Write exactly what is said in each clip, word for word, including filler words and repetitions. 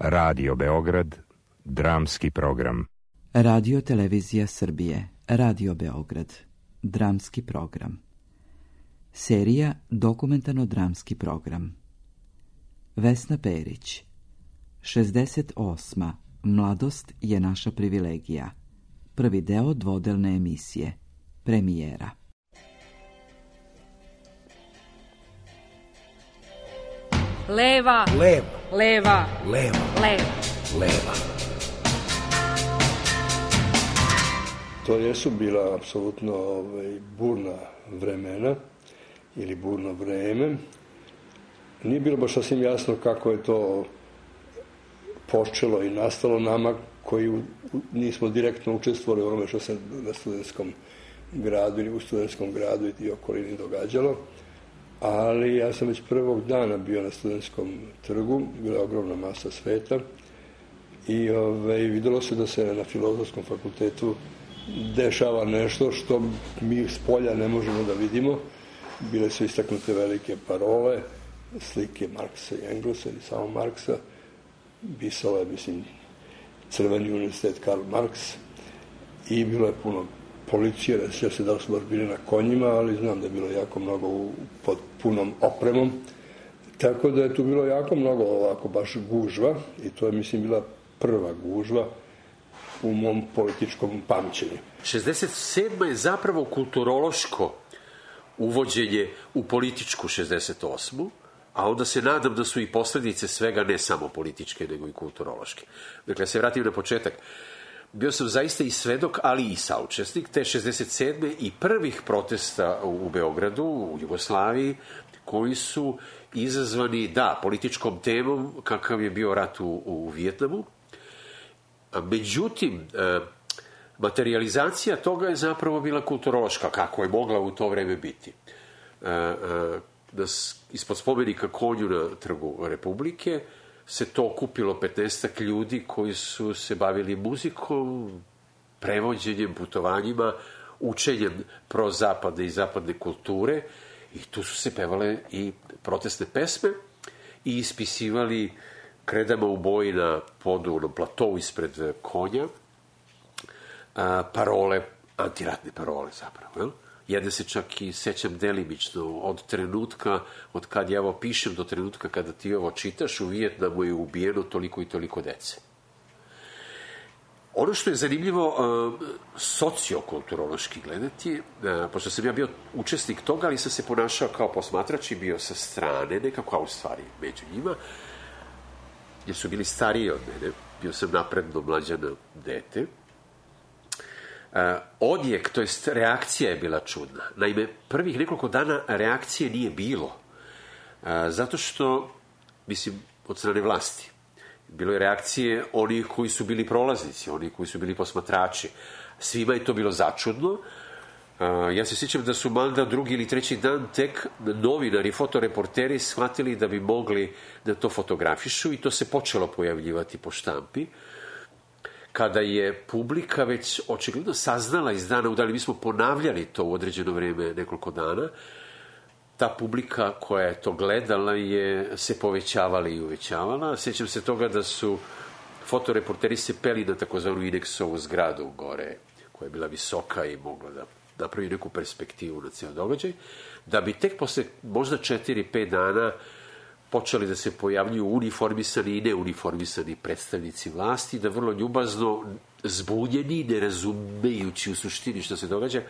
Radio Beograd, dramski program. Radio Televizija Srbije, Radio Beograd, dramski program. Serija Dokumentarno-dramski program. Vesna Perić. šezdeset osma. Mladost je naša privilegija. Prvi deo dvodelne emisije. Premijera. Leva. Leva. Leva. Leva. Leva. Leva. To jesu bila apsolutno ovaj, burna vremena ili burno vreme. Nije bilo baš sasvim jasno kako je to počelo i nastalo nama koji nismo direktno učestvovali u onome što se na studentskom gradu ili u studentskom gradu i okolini događalo. Ali ja sam već prvog dana bio na studentskom trgu, bila je ogromna masa sveta i ovaj, videlo se da se na Filozofskom fakultetu dešava nešto što mi s polja ne možemo da vidimo. Bile su istaknute velike parole, slike Marksa i Englesa ili samo Marksa, pisala je, mislim, Crveni univerzitet Karl Marx i bilo je puno policije, ne sjećam se da li su baš bili na konjima, ali znam da je bilo jako mnogo u, pod punom opremom. Tako da je tu bilo jako mnogo ovako baš gužva i to je, mislim, bila prva gužva u mom političkom pamćenju. šezdeset sedma je zapravo kulturološko uvođenje u političku šezdeset osmu, a onda se nadam da su i posledice svega ne samo političke, nego i kulturološke. Dakle, se vratim na početak. Bio sam zaista i svedok, ali i saučesnik te šezdeset sedme i prvih protesta u Beogradu, u Jugoslaviji, koji su izazvani, da, političkom temom, kakav je bio rat u, u Vijetnamu. Međutim, materializacija toga je zapravo bila kulturološka, kako je mogla u to vreme biti. Ispod spomenika konju na Trgu Republike se to okupilo petnaestak ljudi koji su se bavili muzikom, prevođenjem, putovanjima, učenjem prozapadne i zapadne kulture i tu su se pevale i protestne pesme i ispisivali kredama u boji na podu, na platovu ispred konja, parole, antiratne parole zapravo, jel? Jedne se čak i sećam delimično od trenutka, od kad ja ovo pišem do trenutka kada ti ovo čitaš, u Vijetnamu je ubijeno toliko i toliko dece. Ono što je zanimljivo sociokulturološki gledati, pošto sam ja bio učesnik toga, ali sam se ponašao kao posmatrač i bio sa strane, nekako, a u stvari među njima, jer su bili stariji od mene, bio sam napredno mlađano dete. Uh, odjek, to jest reakcija je bila čudna. Naime, prvih nekoliko dana reakcije nije bilo. Uh, zato što, mislim, od strane vlasti. Bilo je reakcije onih koji su bili prolaznici, onih koji su bili posmatrači. Svima je to bilo začudno. Uh, ja se sjećam da su manda drugi ili treći dan tek novinari, fotoreporteri shvatili da bi mogli da to fotografišu i to se počelo pojavljivati po štampi. Kada je publika već očigledno saznala iz dana u dan, mi smo ponavljali to u određeno vreme nekoliko dana, ta publika koja je to gledala je se povećavala i uvećavala. Sjećam se toga da su fotoreporteri se peli na takozvanu Ineksovu zgradu gore, koja je bila visoka i mogla da napravi neku perspektivu na cijel događaj, da bi tek posle možda četiri pet dana počeli da se pojavljuju uniformisani i neuniformisani predstavnici vlasti, da vrlo ljubazno, zbunjeni, ne razumejući u suštini što se događa,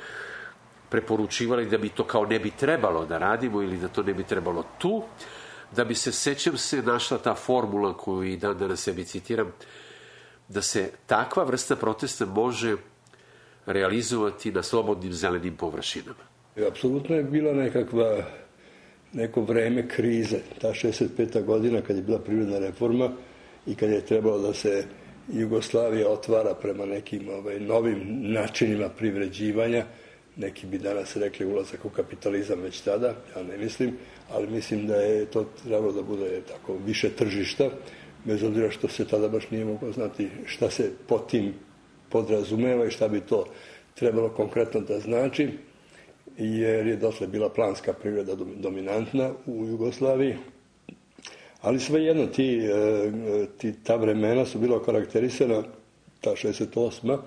preporučivali da bi to kao ne bi trebalo da radimo ili da to ne bi trebalo tu, da bi se, sećam se, našla ta formula koju i dan danas sebi citiram, da se takva vrsta protesta može realizovati na slobodnim zelenim površinama. Apsolutno je bila nekakva neko vreme krize, ta šezdeset peta godina kad je bila privredna reforma i kad je trebalo da se Jugoslavija otvara prema nekim ovaj, novim načinima privređivanja. Neki bi danas rekli ulazak u kapitalizam već tada, ja ne mislim, ali mislim da je to trebalo da bude tako više tržišta, bez obzira što se tada baš nije moglo znati šta se pod tim podrazumeva i šta bi to trebalo konkretno da znači, jer je dotle bila planska privreda dominantna u Jugoslaviji, Ali svejedno, ti, ti, ta vremena su bila karakterisana, ta šezdeset osma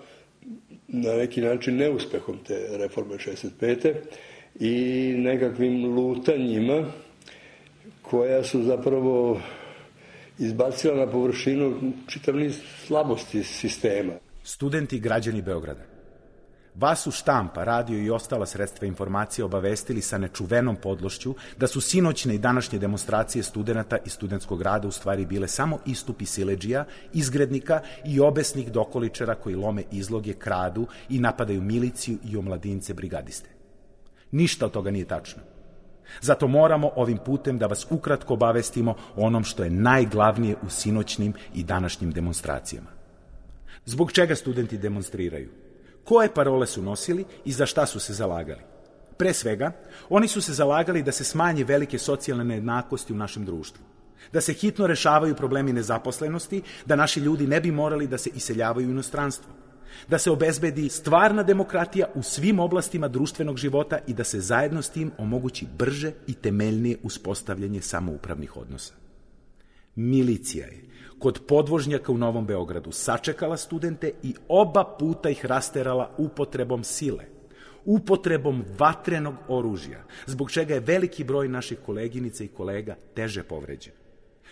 na neki način neuspehom te reforme šezdeset pete i nekakvim lutanjima koja su zapravo izbacila na površinu čitav niz slabosti sistema. Studenti i građani Beograda. Vas su štampa, radio i ostala sredstva informacije obavestili sa nečuvenom podlošću da su sinoćne i današnje demonstracije studenata i studentskog rada u stvari bile samo istupi siledžija, izgrednika i obesnih dokoličara koji lome izloge, kradu i napadaju miliciju i omladince brigadiste. Ništa od toga nije tačno. Zato moramo ovim putem da vas ukratko obavestimo o onom što je najglavnije u sinoćnim i današnjim demonstracijama. Zbog čega studenti demonstriraju? Koje parole su nosili i za šta su se zalagali? Pre svega, oni su se zalagali da se smanje velike socijalne nejednakosti u našem društvu, da se hitno rešavaju problemi nezaposlenosti, da naši ljudi ne bi morali da se iseljavaju u inostranstvo, da se obezbedi stvarna demokratija u svim oblastima društvenog života i da se zajedno s tim omogući brže i temeljnije uspostavljanje samoupravnih odnosa. Milicija je kod podvožnjaka u Novom Beogradu sačekala studente i oba puta ih rasterala upotrebom sile, upotrebom vatrenog oružja, zbog čega je veliki broj naših koleginica i kolega teže povređen.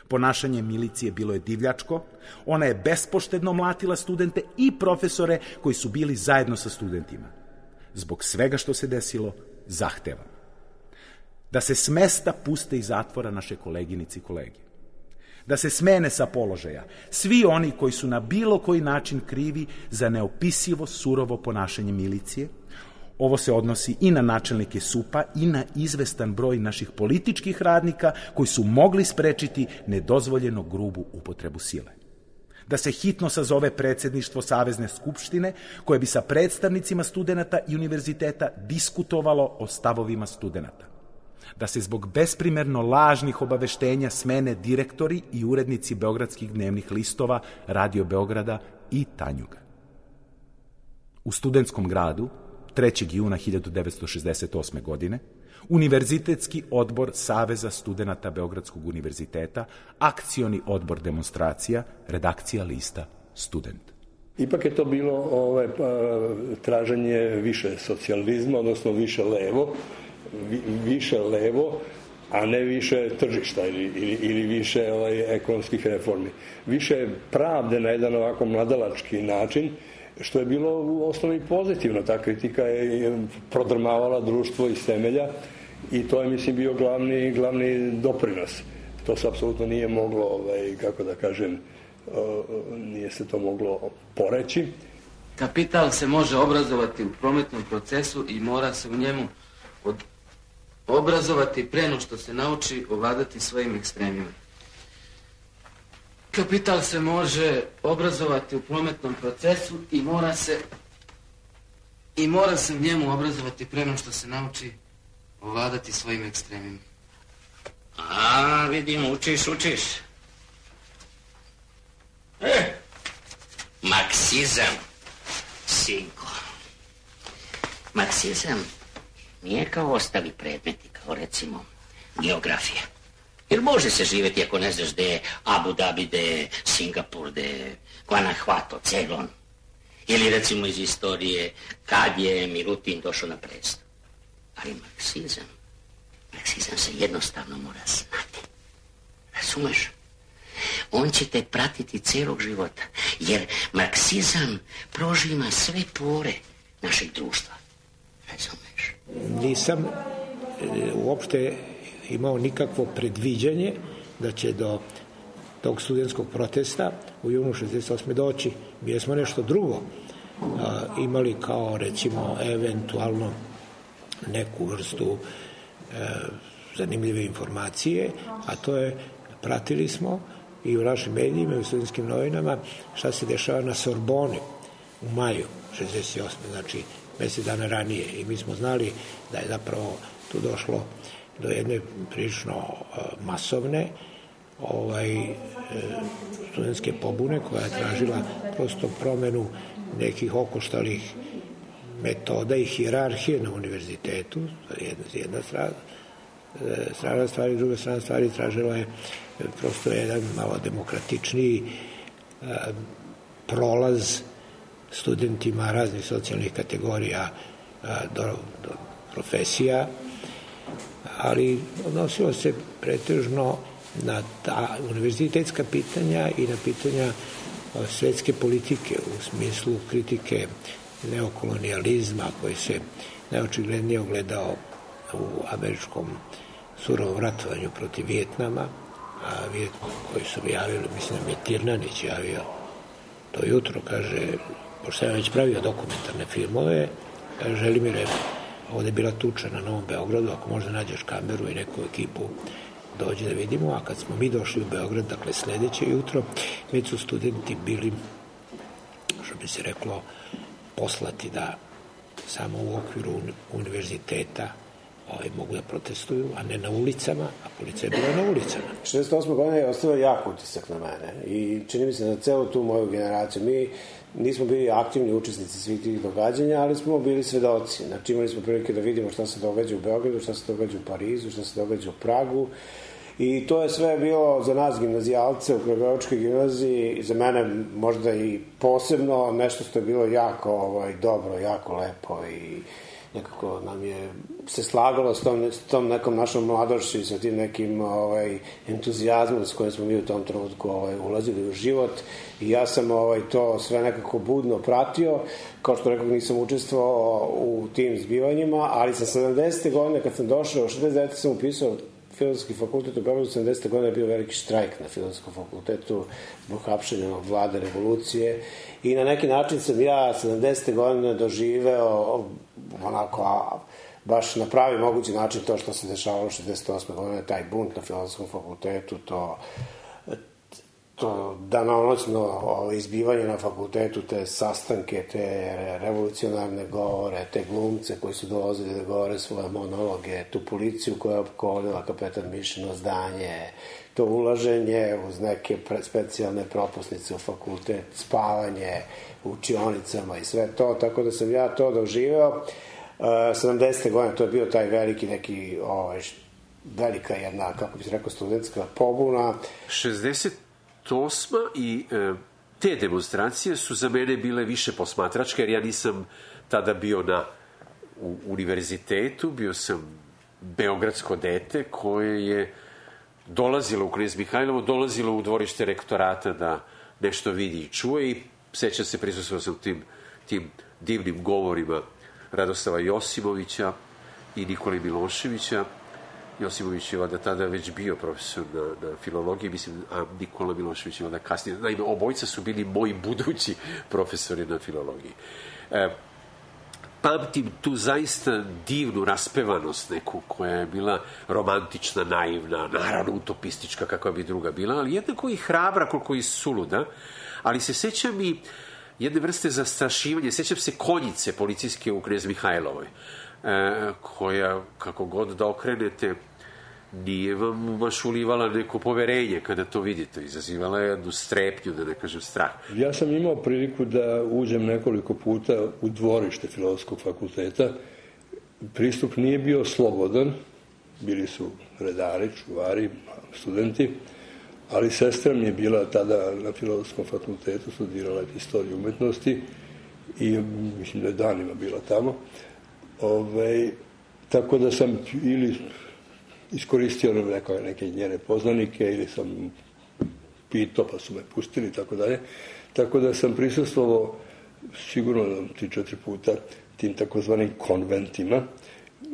Ponašanje milicije bilo je divljačko, ona je bespoštedno mlatila studente i profesore koji su bili zajedno sa studentima. Zbog svega što se desilo, zahtevam da se s mesta puste iz zatvora naše koleginice i kolege, da se smene sa položaja svi oni koji su na bilo koji način krivi za neopisivo surovo ponašanje milicije. Ovo se odnosi i na načelnike S U P-a i na izvestan broj naših političkih radnika koji su mogli sprečiti nedozvoljeno grubu upotrebu sile. Da se hitno sazove predsedništvo Savezne skupštine koje bi sa predstavnicima studenata i univerziteta diskutovalo o stavovima studenata. Da se zbog besprimerno lažnih obaveštenja smene direktori i urednici beogradskih dnevnih listova, Radio Beograda i Tanjuga. U studentskom gradu trećeg juna hiljadu devetsto šezdeset osme. godine Univerzitetski odbor Saveza studenata Beogradskog univerziteta, akcioni odbor demonstracija, redakcija lista Student. Ipak je to bilo ovaj, traženje više socijalizma, odnosno više levo, više levo, a ne više tržišta ili, ili, ili više ovaj, ekonomskih reformi. Više pravde na jedan ovako mladalački način, što je bilo u osnovi pozitivno. Ta kritika je prodrmavala društvo iz temelja i to je, mislim, bio glavni, glavni doprinos. To se apsolutno nije moglo, ovaj, kako da kažem, nije se to moglo poreći. Kapital se može obrazovati u prometnom procesu i mora se u njemu od... obrazovati pre no što se nauči ovladati svojim ekstremima. Kapital se može obrazovati u prometnom procesu i mora se i mora se u njemu obrazovati pre no što se nauči ovladati svojim ekstremima. A, vidim, učiš, učiš. E, marksizam, sinko. Marksizam nije kao ostali predmeti, kao recimo geografija. Jer može se živjeti ako ne znaš gde je Abu Dhabi, gde je Singapur, gde je Guanajuato, Ceylon. Ili recimo iz istorije kad je Milutin došao na presto. Ali marksizam, marksizam se jednostavno mora znati. Razumeš? On će te pratiti celog života, jer marksizam prožima sve pore našeg društva. Razumeš? Nisam e, uopšte imao nikakvo predviđanje da će do tog studentskog protesta u junu šezdeset osme doći. Mi smo nešto drugo a, imali kao, recimo, eventualno neku vrstu e, zanimljive informacije, a to je, pratili smo i u našim medijima i u studentskim novinama šta se dešava na Sorboni u maju šezdeset osme. Znači mesec dana ranije, i mi smo znali da je zapravo tu došlo do jedne prilično uh, masovne ovaj, uh, studentske pobune koja je tražila prosto promenu nekih okoštalih metoda i hijerarhije na univerzitetu, jedna, jedna strana, strana stvari, druga strana stvari tražila je prosto jedan malo demokratičniji prolaz studentima raznih socijalnih kategorija do, do profesija, ali odnosilo se pretežno na ta univerzitetska pitanja i na pitanja svetske politike u smislu kritike neokolonijalizma koji se najočiglednije ogledao u američkom surovom ratovanju protiv Vijetnama, a Vijet koji su javili, mislim da je Tirnanić javio to jutro, kaže, pošto sam već pravio dokumentarne filmove, kaže, Želimire, ovde je bila tuča na Novom Beogradu, ako možda nađeš kameru i neku ekipu, dođe da vidimo, a kad smo mi došli u Beograd, dakle sledeće jutro, već su studenti bili, što bi se reklo, poslati da samo u okviru univerziteta ovaj, mogu da protestuju, a ne na ulicama, a policija je bila na ulicama. šezdeset osme godine je ostavio jak utisak na mene i čini mi se na celu tu moju generaciju. Mi nismo bili aktivni učesnici svih tih događanja, ali smo bili svedoci. Znači imali smo prilike da vidimo šta se događa u Beogradu, šta se događa u Parizu, šta se događa u Pragu. I to je sve bilo za nas gimnazijalce u Kragujevačkoj gimnaziji, za mene možda i posebno nešto što je bilo jako ovaj, dobro, jako lepo i nekako nam je se slagalo s tom, s tom nekom našom mladošću i sa tim nekim ovaj, entuzijazmom s kojim smo mi u tom trenutku ovaj, ulazili u život i ja sam ovaj, to sve nekako budno pratio, kao što rekao nisam učestvovao u tim zbivanjima, ali sa sedamdesete godine kad sam došao, šezdeset devete sam upisao Filozofski fakultet u Beogradu, sedamdesete godine je bio veliki štrajk na Filozofskom fakultetu zbog hapšenja vlade revolucije i na neki način sam ja sedamdesete godine doživeo onako, a, baš na pravi mogući način to što se dešavalo šezdeset osme godine, taj bunt na Filozofskom fakultetu, to to danonoćno izbivanje na fakultetu, te sastanke, te revolucionarne govore, te glumce koji su dolazili da govore svoje monologe, tu policiju koja je opkolila kapetan Mišino zdanje, to ulaženje uz neke pre, specijalne propusnice u fakultet, spavanje u učionicama i sve to, tako da sam ja to doživeo. sedamdesete godine to je bio taj veliki neki, ovaj, velika jedna, kako bi se rekao, studentska pobuna. šezdeset osma i e, te demonstracije su za mene bile više posmatračke, jer ja nisam tada bio na u univerzitetu, bio sam beogradsko dete koje je dolazilo u Knez Mihajlovo, dolazilo u dvorište rektorata da nešto vidi i čuje i sećam se, prisustvovao sam tim, tim divnim govorima Radoslava Josimovića i Nikole Miloševića. Josimović je onda tada već bio profesor na, na filologiji, mislim, a Nikola Milošević je onda kasnije. Naime, obojica su bili moji budući profesori na filologiji. E, pamtim tu zaista divnu raspevanost neku koja je bila romantična, naivna, naravno utopistička kakva bi druga bila, ali jednako i hrabra koliko i suluda, ali se sećam i jedne vrste zastrašivanja, sećam se konjice policijske u Knez Mihajlovoj, E, koja, kako god da okrenete, nije vam baš ulivala neko poverenje kada to vidite. Izazivala je jednu strepnju, da ne kažem strah. Ja sam imao priliku da uđem nekoliko puta u dvorište Filozofskog fakulteta. Pristup nije bio slobodan, bili su redari, čuvari, studenti, ali sestra mi je bila tada na Filozofskom fakultetu, studirala je istoriju umetnosti i mislim da je danima bila tamo. Ove, tako da sam ili iskoristio neke, neke njene poznanike ili sam pitao pa su me pustili, tako dalje. Tako da sam prisustvovao sigurno tri, četiri puta tim takozvanim konventima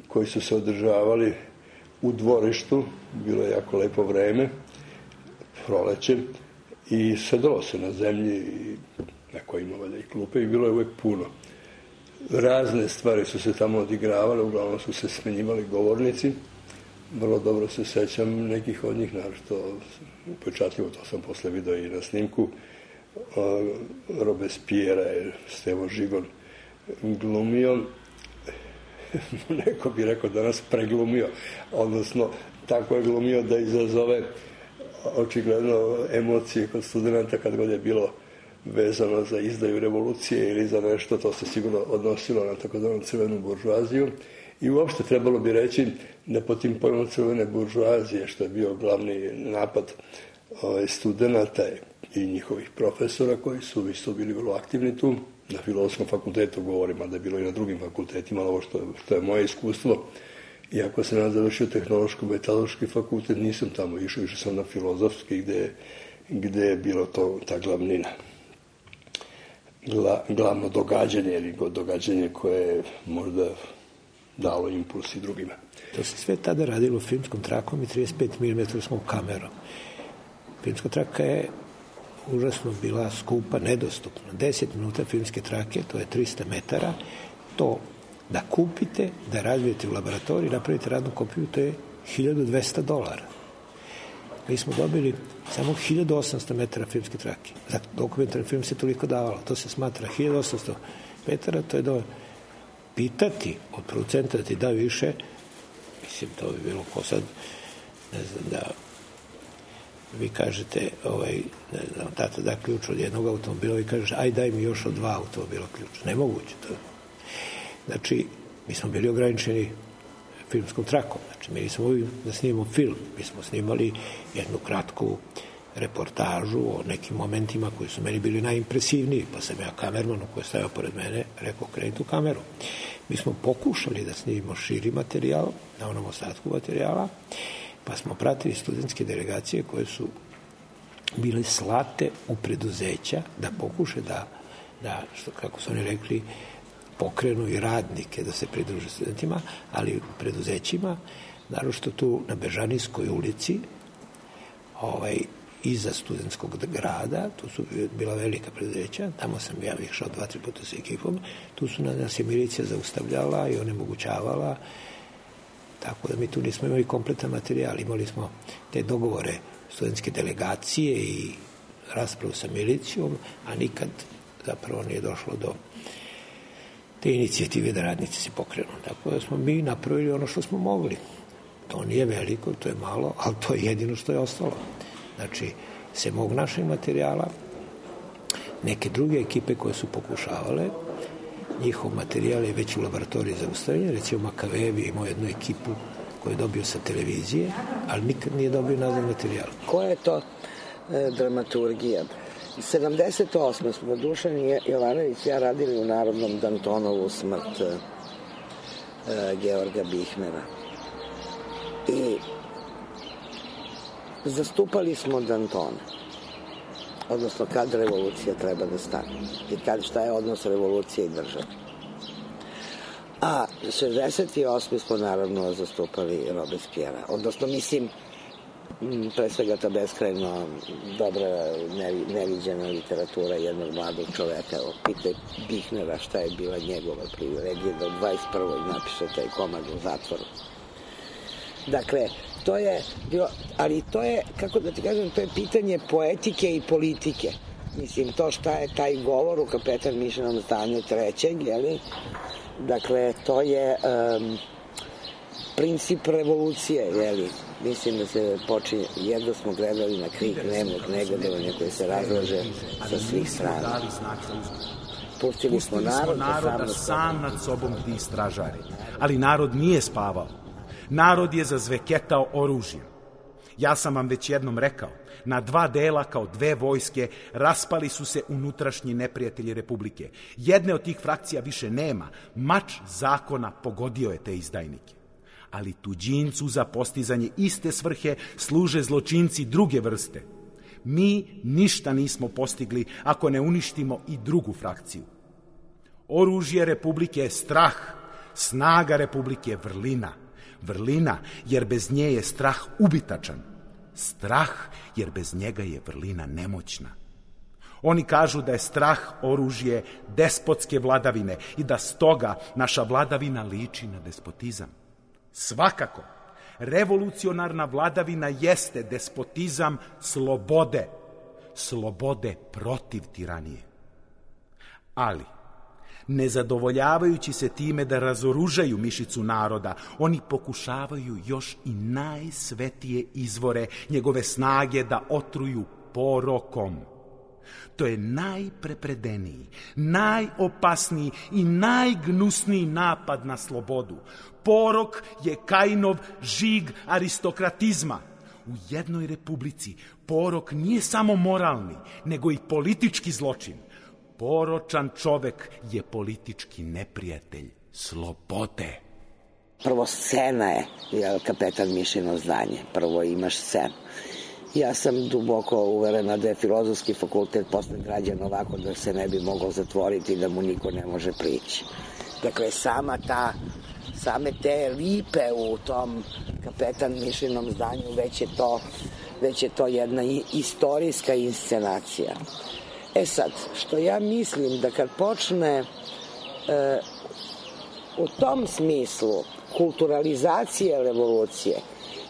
koji su se održavali u dvorištu, bilo je jako lepo vreme, proleće, i sedalo se na zemlji i neko ima valjda i klupe i bilo je uvek puno. Razne stvari su se tamo odigravale, uglavnom su se smenjivali govornici. Vrlo dobro se sećam nekih od njih, naravno upečatljivo, to sam posle video i na snimku. Robespierre je Stevo Žigon glumio, neko bi rekao danas preglumio, odnosno tako je glumio da izazove očigledno emocije kod studenta kad god je bilo vezano za izdaju revolucije ili za nešto, to se sigurno odnosilo na takozvanu crvenu buržuaziju. I uopšte trebalo bi reći da po tim pojmom crvene buržoazije, što je bio glavni napad ovaj, studenta i njihovih profesora koji su isto bili vrlo aktivni tu, na Filozofskom fakultetu govorim, a da je bilo i na drugim fakultetima, ali ovo što, što je moje iskustvo. Iako sam ja završio tehnološko-metaloški fakultet, nisam tamo išao, išao sam na filozofski gde, gde je bilo to, ta glavnina. Gla, glavno događanje ili događanje koje je možda dalo impuls i drugima. To se sve tada radilo filmskom trakom i trideset pet milimetara kamerom. Filmska traka je užasno bila skupa, nedostupna. deset minuta filmske trake, to je trista metara, to da kupite, da razvijete u laboratoriji, napravite radnu kopiju, to je hiljadu dvesta dolara. Mi smo dobili samo hiljadu osamsto metara filmske trake. Za dokumentarni film se toliko davalo. To se smatra hiljadu osamsto metara, to je da pitati od producenta da ti da više, mislim, to bi bilo ko sad, ne znam, da vi kažete, ovaj, ne znam, tata da ključ od jednog automobila, vi kažeš, aj daj mi još od dva automobila ključ. Nemoguće to. Znači, mi smo bili ograničeni filmskom trakom. Znači, mi nismo mogli da snimamo film. Mi smo snimali jednu kratku reportažu o nekim momentima koji su meni bili najimpresivniji, pa sam ja kamermanu koji je stajao pored mene rekao, kreni tu kameru. Mi smo pokušali da snimimo širi materijal, na onom ostatku materijala, pa smo pratili studentske delegacije koje su bile slate u preduzeća da pokuše da, da što, kako su oni rekli, pokrenu i radnike da se pridruže studentima, ali u preduzećima, naročito tu na Bežanijskoj ulici, ovaj, iza studentskog grada, tu su bila velika preduzeća, tamo sam ja išao dva, tri puta sa ekipom, tu su nas je milicija zaustavljala i onemogućavala, tako da mi tu nismo imali kompletan materijal, imali smo te dogovore studentske delegacije i raspravu sa milicijom, a nikad zapravo nije došlo do te inicijative da radnici se pokrenu. Tako da smo mi napravili ono što smo mogli. To nije veliko, to je malo, ali to je jedino što je ostalo. Znači, se mog našeg materijala, neke druge ekipe koje su pokušavale, njihov materijal je već u laboratoriji zaustavljen, recimo Makavejevi imao jednu ekipu koju je dobio sa televizije, ali nikad nije dobio nazad materijal. Koja je to e, dramaturgija? sedamdeset osme smo Dušan Jovanović i ja radili u Narodnom Dantonovu smrt e, Georga Bihnera. I zastupali smo Dantona. Odnosno, kad revolucija treba da stane. I kad, šta je odnos revolucije i države. A šezdeset osme smo naravno zastupali Robespierra. Odnosno, mislim, pre svega ta beskrajno dobra, neviđena literatura jednog mladog čoveka. Pitaj Bihnera šta je bila njegova privilegija da u dvadeset prvoj napiše taj komad u zatvoru. Dakle, to je bilo, ali to je, kako da ti kažem, to je pitanje poetike i politike. Mislim, to šta je taj govor u Kapetan Mišenom zdanju trećeg, jeli? Dakle, to je um, princip revolucije, jeli? Mislim da se počinje, jedno smo gledali na krik nemog negodovanja koji se razlaže sa svih strana. Pustili smo narod da sam nad sobom bdi stražari. Ali narod nije spavao. Narod je zazveketao oružjem. Ja sam vam već jednom rekao, na dva dela kao dve vojske raspali su se unutrašnji neprijatelji Republike. Jedne od tih frakcija više nema. Mač zakona pogodio je te izdajnike. Ali tuđincu za postizanje iste svrhe služe zločinci druge vrste. Mi ništa nismo postigli ako ne uništimo i drugu frakciju. Oružje Republike je strah, snaga Republike je vrlina. Vrlina, jer bez nje je strah ubitačan. Strah, jer bez njega je vrlina nemoćna. Oni kažu da je strah oružje despotske vladavine i da stoga naša vladavina liči na despotizam. Svakako, revolucionarna vladavina jeste despotizam slobode, slobode protiv tiranije. Ali, nezadovoljavajući se time da razoružaju mišicu naroda, oni pokušavaju još i najsvetije izvore njegove snage da otruju porokom. To je najprepredeniji, najopasniji i najgnusniji napad na slobodu. Porok je Kajinov žig aristokratizma. U jednoj republici porok nije samo moralni, nego i politički zločin. Poročan čovek je politički neprijatelj slobode. Prvo scena je, je Kapetan Mišino zdanje. Prvo imaš scenu. Ja sam duboko uverena da je Filozofski fakultet posle građan ovako da se ne bi mogao zatvoriti i da mu niko ne može prići. Dakle, sama ta, same te lipe u tom Kapetan Mišinom zdanju, već je to, već je to jedna istorijska inscenacija. E sad, što ja mislim da kad počne e, u tom smislu kulturalizacije revolucije,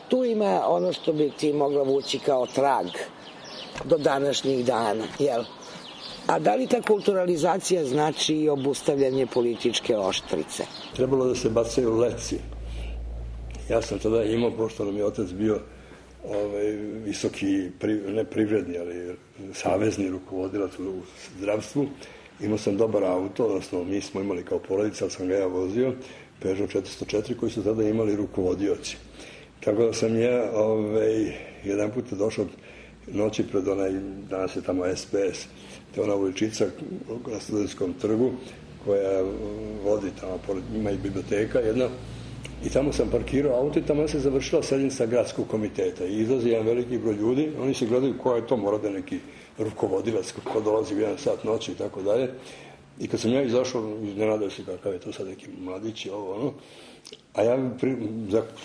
tu ima ono što bi ti mogla vući kao trag do današnjih dana, jel? A da li ta kulturalizacija znači i obustavljanje političke oštrice? Trebalo da se bacaju leci. Ja sam tada imao, pošto nam je otac bio ovaj, visoki, ne privredni, ali savezni rukovodilac u zdravstvu. Imao sam dobar auto, odnosno mi smo imali kao porodica, ali sam ga ja vozio, Peugeot četiristo četiri, koji su tada imali rukovodioci. Tako da sam ja ovaj, jedan put došao noći pred onaj, danas je tamo S P S, to je ona uličica na Studentskom trgu koja vodi tamo, pored, ima i biblioteka jedna, i tamo sam parkirao auto i tamo se završila sednica gradskog komiteta i izlazi jedan veliki broj ljudi, oni se gledaju ko je to, mora da neki rukovodilac, ko dolazi u jedan sat noći i tako dalje. I kad sam ja izašao, iznenadao se kakav je to sad neki mladić i ovo ono, a ja pri,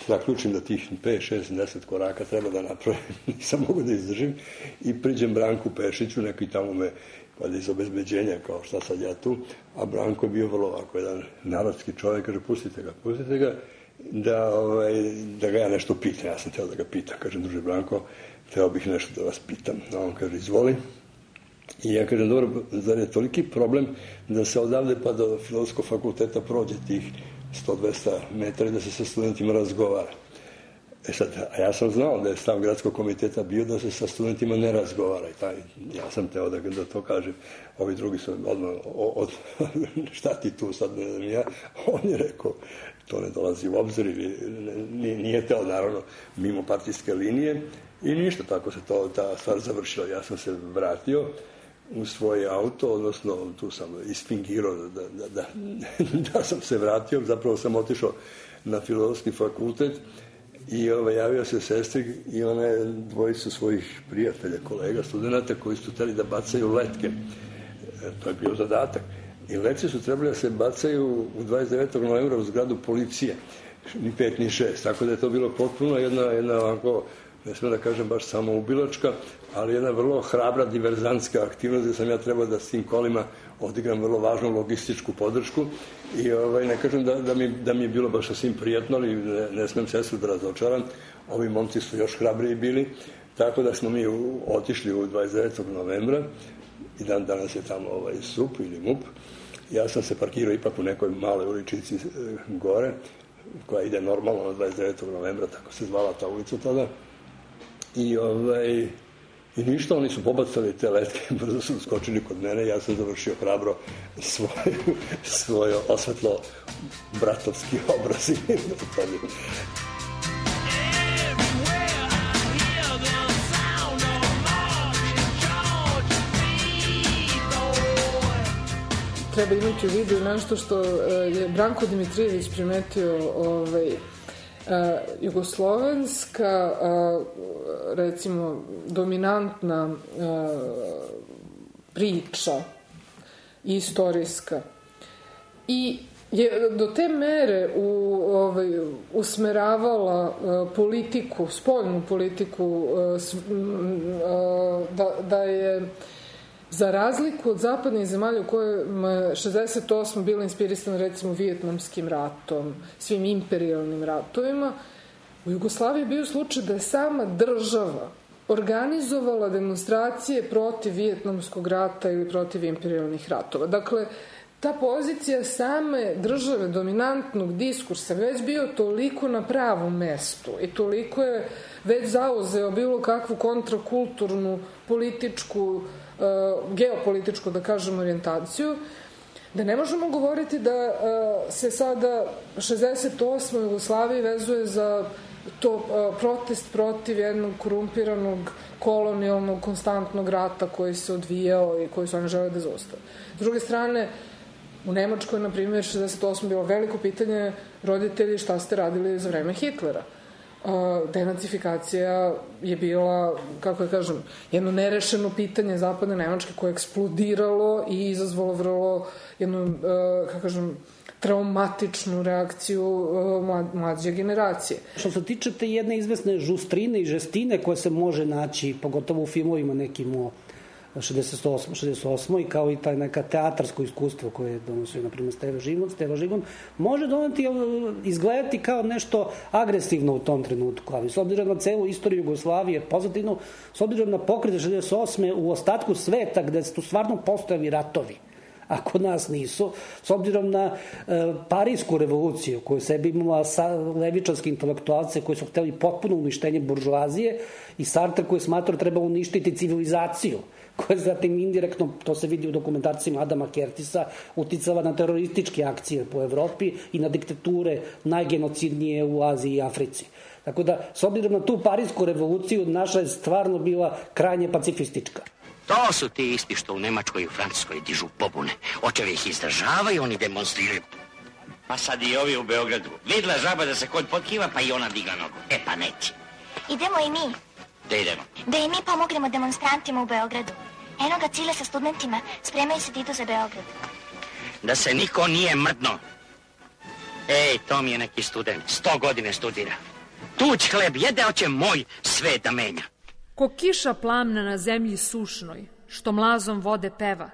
zaključim da tih pet, šest, deset koraka treba da napravim, nisam mogu da izdržim i priđem Branku Pešiću, neki tamo me valjda iz obezbeđenja, kao šta sad ja tu, a Branko je bio vrlo ovako jedan narodski čovjek, kaže pustite ga, pustite ga, da, ovaj, da ga ja nešto pitam. Ja sam teo da ga pitam, kažem, druže Branko, teo bih nešto da vas pitam. A on kaže, izvoli. I ja kažem, dobro, zar je toliki problem da se odavde pa do Filozofskog fakulteta prođe tih sto do dvesta metara i da se sa studentima razgovara. E sad, a ja sam znao da je stav gradskog komiteta bio da se sa studentima ne razgovara. I taj, ja sam teo da, da to kažem. Ovi drugi su odmah, od, šta ti tu sad, ne znam ja. On je rekao, to ne dolazi u obzir, nije, nije teo, naravno, mimo partijske linije. I ništa, tako se to, ta stvar završila. Ja sam se vratio u svoj auto, odnosno tu sam isfingirao da, da, da, da sam se vratio, zapravo sam otišao na Filozofski fakultet i ovaj, javio se sestri i ona je dvojicu svojih prijatelja, kolega, studenta koji su hteli da bacaju letke. E, to je bio zadatak. I letke su trebali da se bacaju u dvadeset devetog novembra u zgradu policije, ni pet ni šest, tako da je to bilo potpuno jedna, jedna ovako, ne smijem da kažem baš samoubilačka, ali jedna vrlo hrabra diverzantska aktivnost gde sam ja trebao da s tim kolima odigram vrlo važnu logističku podršku i ovaj, ne kažem da, da, mi, da mi je bilo baš sasvim prijatno, ali ne, ne smijem sestru da razočaram, ovi momci su još hrabriji bili, tako da smo mi u, otišli u dvadeset devetog novembra i dan danas je tamo ovaj S U P ili M U P. Ja sam se parkirao ipak u nekoj maloj uličici e, gore, koja ide normalno na dvadeset devetog novembra, tako se zvala ta ulica tada. I, ovaj, i ništa, oni su pobacali te letke, brzo su skočili kod mene, ja sam završio hrabro svoj, svoj osvetlo bratovski obraz. Treba imati u vidu nešto što je Branko Dimitrijević primetio, ovaj, Uh, jugoslovenska uh, recimo dominantna uh, priča istorijska i je do te mere u, ovaj, usmeravala uh, politiku, spoljnu politiku uh, s, uh, da, da je za razliku od zapadnih zemalja u kojima je šezdeset osam bila inspirisana recimo Vijetnamskim ratom, svim imperijalnim ratovima, u Jugoslaviji je bio slučaj da je sama država organizovala demonstracije protiv Vijetnamskog rata ili protiv imperijalnih ratova. Dakle, ta pozicija same države, dominantnog diskursa, već bio toliko na pravom mestu i toliko je već zauzeo bilo kakvu kontrakulturnu, političku, geopolitičku, da kažem, orijentaciju, da ne možemo govoriti da se sada šezdeset osma Jugoslaviji vezuje za to protest protiv jednog korumpiranog kolonijalnog konstantnog rata koji se odvijao i koji su oni žele da zaustave. S druge strane, u Nemačkoj, na primjer, šezdeset osme bilo veliko pitanje roditelji šta ste radili za vreme Hitlera. Denacifikacija je bila, kako da kažem, jedno nerešeno pitanje zapadne Nemačke koje je eksplodiralo i izazvalo vrlo jednu, kako kažem, traumatičnu reakciju mlađe generacije. Što se tiče te jedne izvesne žustrine i žestine koje se može naći, pogotovo u filmovima nekim o šezdeset osmoj šezdeset osmoj kao i taj neka teatarsko iskustvo koje je donosio, na primjer, Steva Živon, Steva Žigon, može doneti, izgledati kao nešto agresivno u tom trenutku, ali s obzirom na celu istoriju Jugoslavije pozitivno, s obzirom na pokrete šezdeset osme u ostatku sveta gde su stvarno postojali ratovi, a kod nas nisu, s obzirom na e, Parijsku revoluciju koju sebi imala levičarske intelektualce koji su hteli potpuno uništenje buržuazije i Sartre koji smatrao treba uništiti civilizaciju, koja zatim indirektno, to se vidi u dokumentarcima Adama Kertisa, uticala na terorističke akcije po Evropi i na diktature najgenocidnije u Aziji i Africi. Tako da, s obzirom na tu Parijsku revoluciju, naša je stvarno bila krajnje pacifistička. To su ti isti što u Nemačkoj i u Francuskoj dižu pobune. Očevi ih izdržavaju, oni demonstriraju. Pa sad i ovi u Beogradu. Vidla žaba da se kod potkiva, pa i ona diga nogu. E pa neće. Idemo i mi. Da idemo. Da i mi pomognemo demonstrantima u Beogradu. Eno ga Cile sa studentima, spremaju se da idu za Beograd. Da se niko nije mrdno. Ej, to mi je neki student, sto godine studira. Tuć hleb jede, oće moj sve da menja. Ko kiša plamna na zemlji sušnoj, što mlazom vode peva,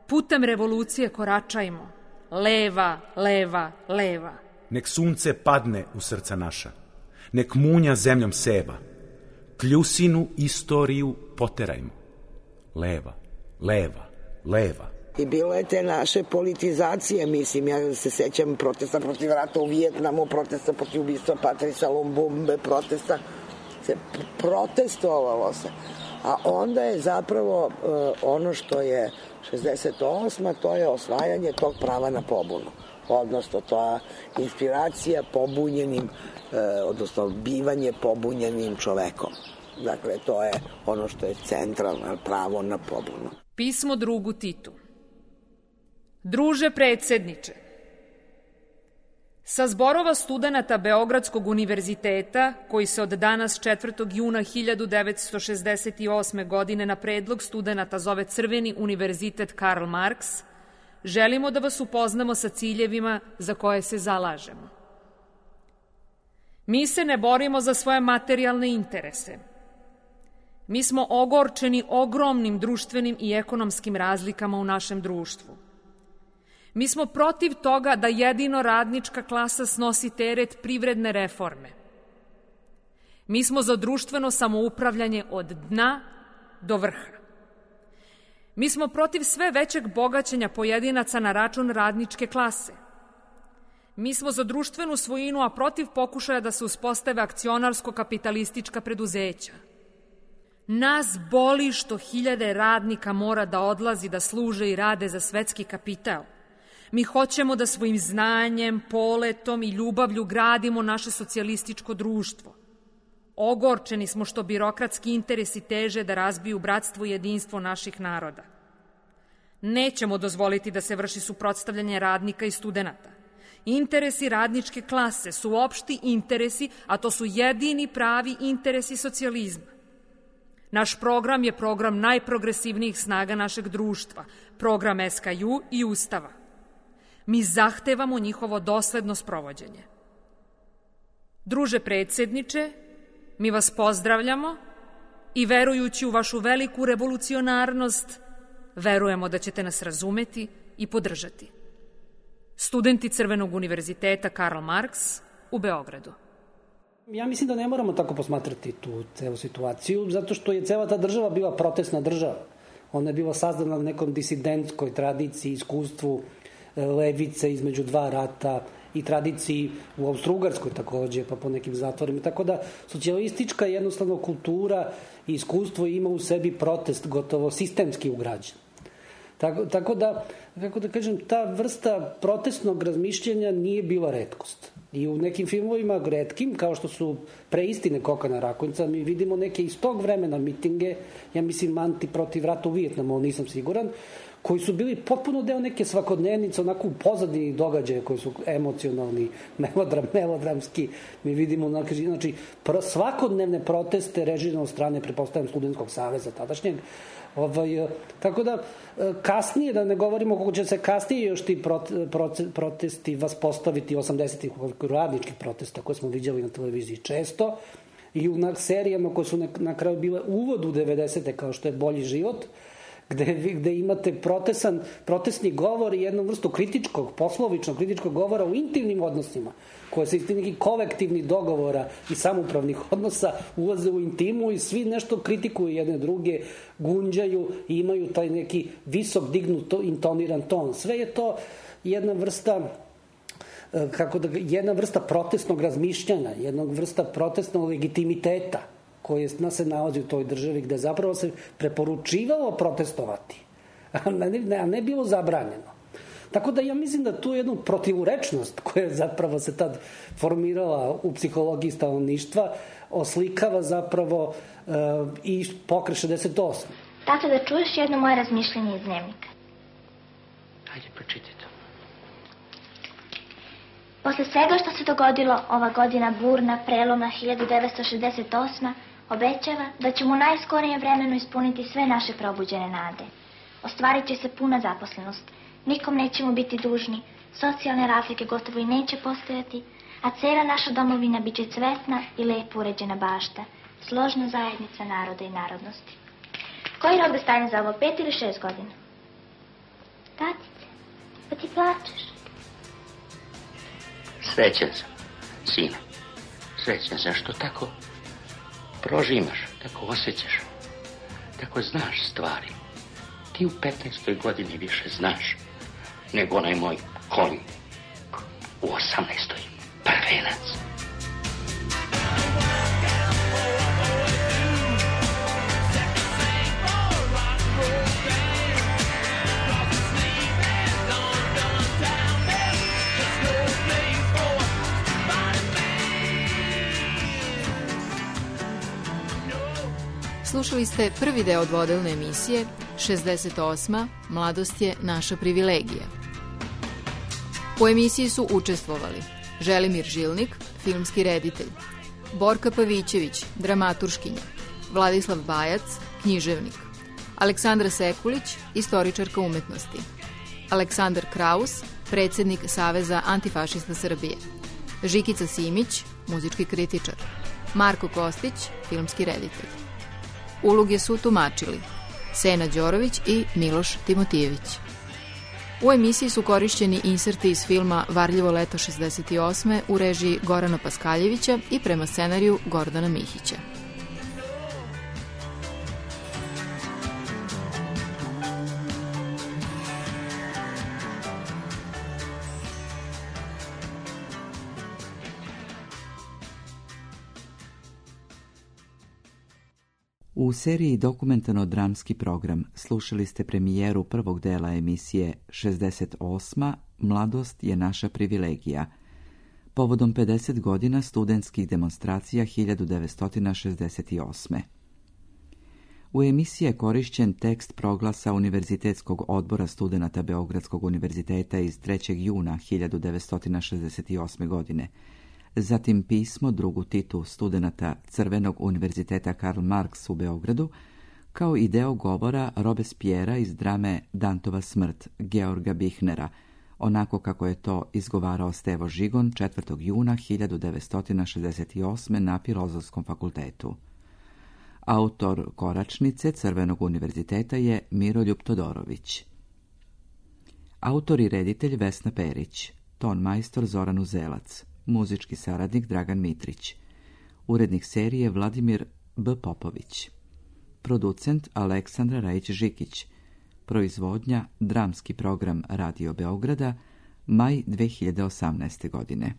putem revolucije koračajmo, leva, leva, leva. Nek sunce padne u srca naša, nek munja zemljom seba, kljusinu istoriju poterajmo, leva, leva, leva. I bilo je te naše politizacije, mislim, ja se sećam protesta protiv rata u Vijetnamu, protesta protiv ubistva Patrisa Lumbumbe, protesta, se protestovalo se. A onda je zapravo uh, ono što je šezdeset osma, to je osvajanje tog prava na pobunu. Odnosno, to je inspiracija pobunjenim, uh, odnosno bivanje pobunjenim čovekom. Dakle, to je ono što je centralno pravo na pobunu. Pismo drugu Titu. Druže predsedniče, sa zborova studenata Beogradskog univerziteta, koji se od danas četvrtog juna hiljadu devetsto šezdeset osme. godine na predlog studenata zove Crveni univerzitet Karl Marx, želimo da vas upoznamo sa ciljevima za koje se zalažemo. Mi se ne borimo za svoje materijalne interese. Mi smo ogorčeni ogromnim društvenim i ekonomskim razlikama u našem društvu. Mi smo protiv toga da jedino radnička klasa snosi teret privredne reforme. Mi smo za društveno samoupravljanje od dna do vrha. Mi smo protiv sve većeg bogaćenja pojedinaca na račun radničke klase. Mi smo za društvenu svojinu, a protiv pokušaja da se uspostave akcionarsko-kapitalistička preduzeća. Nas boli što hiljade radnika mora da odlazi da služe i rade za svetski kapital. Mi hoćemo da svojim znanjem, poletom i ljubavlju gradimo naše socijalističko društvo. Ogorčeni smo što birokratski interesi teže da razbiju bratstvo i jedinstvo naših naroda. Nećemo dozvoliti da se vrši suprotstavljanje radnika i studenata. Interesi radničke klase su opšti interesi, a to su jedini pravi interesi socijalizma. Naš program je program najprogresivnijih snaga našeg društva, program S K U i Ustava. Mi zahtevamo njihovo dosledno sprovođenje. Druže predsedniče, mi vas pozdravljamo i verujući u vašu veliku revolucionarnost, verujemo da ćete nas razumeti i podržati. Studenti Crvenog univerziteta Karl Marx u Beogradu. Ja mislim da ne moramo tako posmatrati tu celu situaciju, zato što je cela ta država bila protestna država. Ona je bila sazdana na nekom disidentskoj tradiciji, iskustvu levice između dva rata i tradiciji u Austro-Ugarskoj takođe, pa po nekim zatvorima. Tako da socijalistička jednostavno kultura i iskustvo ima u sebi protest gotovo sistemski ugrađen. Tako, tako da, kako da kažem, ta vrsta protestnog razmišljanja nije bila retkost. I u nekim filmovima retkim, kao što su Preistine Kokana Rakonjca, mi vidimo neke iz tog vremena mitinge, ja mislim anti protiv rata u Vijetnamu, nisam siguran, koji su bili potpuno deo neke svakodnevnice, onako u pozadini događaja koji su emocionalni, melodram, melodramski. Mi vidimo, znači, svakodnevne proteste režirane od strane, prepostavljam, Studentskog saveza tadašnjeg. Ovaj, tako da, kasnije, da ne govorimo kako će se kasnije još ti protesti vas postaviti osamdesetih radničkih protesta koje smo viđali na televiziji često i u serijama koje su na, na kraju bile uvod u devedesete kao što je Bolji život, Gde, gde imate protesan, protestni govor i jednu vrstu kritičkog, poslovičnog kritičkog govora u intimnim odnosima, koje se iz nekih kolektivnih dogovora i samoupravnih odnosa ulaze u intimu i svi nešto kritikuju jedne druge, gunđaju i imaju taj neki visok dignut intoniran ton. Sve je to jedna vrsta kako da, jedna vrsta protestnog razmišljanja, jedna vrsta protestnog legitimiteta koje se nalazi u toj državi, gde zapravo se preporučivalo protestovati, a ne, a ne bilo zabranjeno. Tako da ja mislim da tu jednu protivurečnost koja zapravo se tad formirala u psihologiji stanovništva oslikava zapravo uh, i pokret šezdeset osme. Tato, da čuješ jedno moje razmišljenje iz dnevnika. Hajde, pročitaj to. Posle svega što se dogodilo, ova godina burna, prelomna hiljadu devetsto šezdeset osma, obećava da ćemo u najskorijem vremenu ispuniti sve naše probuđene nade. Ostvarit će se puna zaposlenost, nikom nećemo biti dužni, socijalne razlike gotovo i neće postojati, a cela naša domovina bit će cvetna i lepo uređena bašta, složna zajednica naroda i narodnosti. Koji rok da stavim za ovo, pet ili šest godina? Tatice, pa ti plačeš. Srećan sam, sine. Srećan sam što tako prožimaš, tako osjećaš, tako znaš stvari. Ti u petnaestoj godini više znaš nego onaj moj konj u osamnaestoj prvenac. Slušali ste prvi deo dvodelne emisije šezdeset osma. Mladost je naša privilegija. U emisiji su učestvovali Želimir Žilnik, filmski reditelj, Borka Pavićević, dramaturškinja, Vladislav Bajac, književnik, Aleksandra Sekulić, istoričarka umetnosti, Aleksandar Kraus, predsjednik Saveza antifašista Srbije, Žikica Simić, muzički kritičar, Marko Kostić, filmski reditelj. Uloge su tumačili Sena Đorović i Miloš Timotijević. U emisiji su korišćeni inserti iz filma Varljivo leto šezdeset osme u režiji Gorana Paskaljevića i prema scenariju Gordana Mihića. U seriji Dokumentarno-dramski program slušali ste premijeru prvog dela emisije šezdeset osma. Mladost je naša privilegija, povodom pedeset godina studentskih demonstracija hiljadu devetsto šezdeset osme. U emisiji je korišćen tekst proglasa Univerzitetskog odbora studenata Beogradskog univerziteta iz trećeg juna hiljadu devetsto šezdeset osme. godine, zatim pismo drugu Titu studenata Crvenog univerziteta Karl Marx u Beogradu, kao i deo govora Robespiera iz drame Dantova smrt Georga Bihnera, onako kako je to izgovarao Stevo Žigon četvrtog juna hiljadu devetsto šezdeset osme. na Filozofskom fakultetu. Autor koračnice Crvenog univerziteta je Miroljub Todorović. Autor i reditelj Vesna Perić, ton majstor Zoran Uzelac, muzički saradnik Dragan Mitrić, urednik serije Vladimir B. Popović, producent Aleksandra Rajić-Žikić, Proizvodnja Dramski program Radio Beograda, maj dve hiljade osamnaeste godine.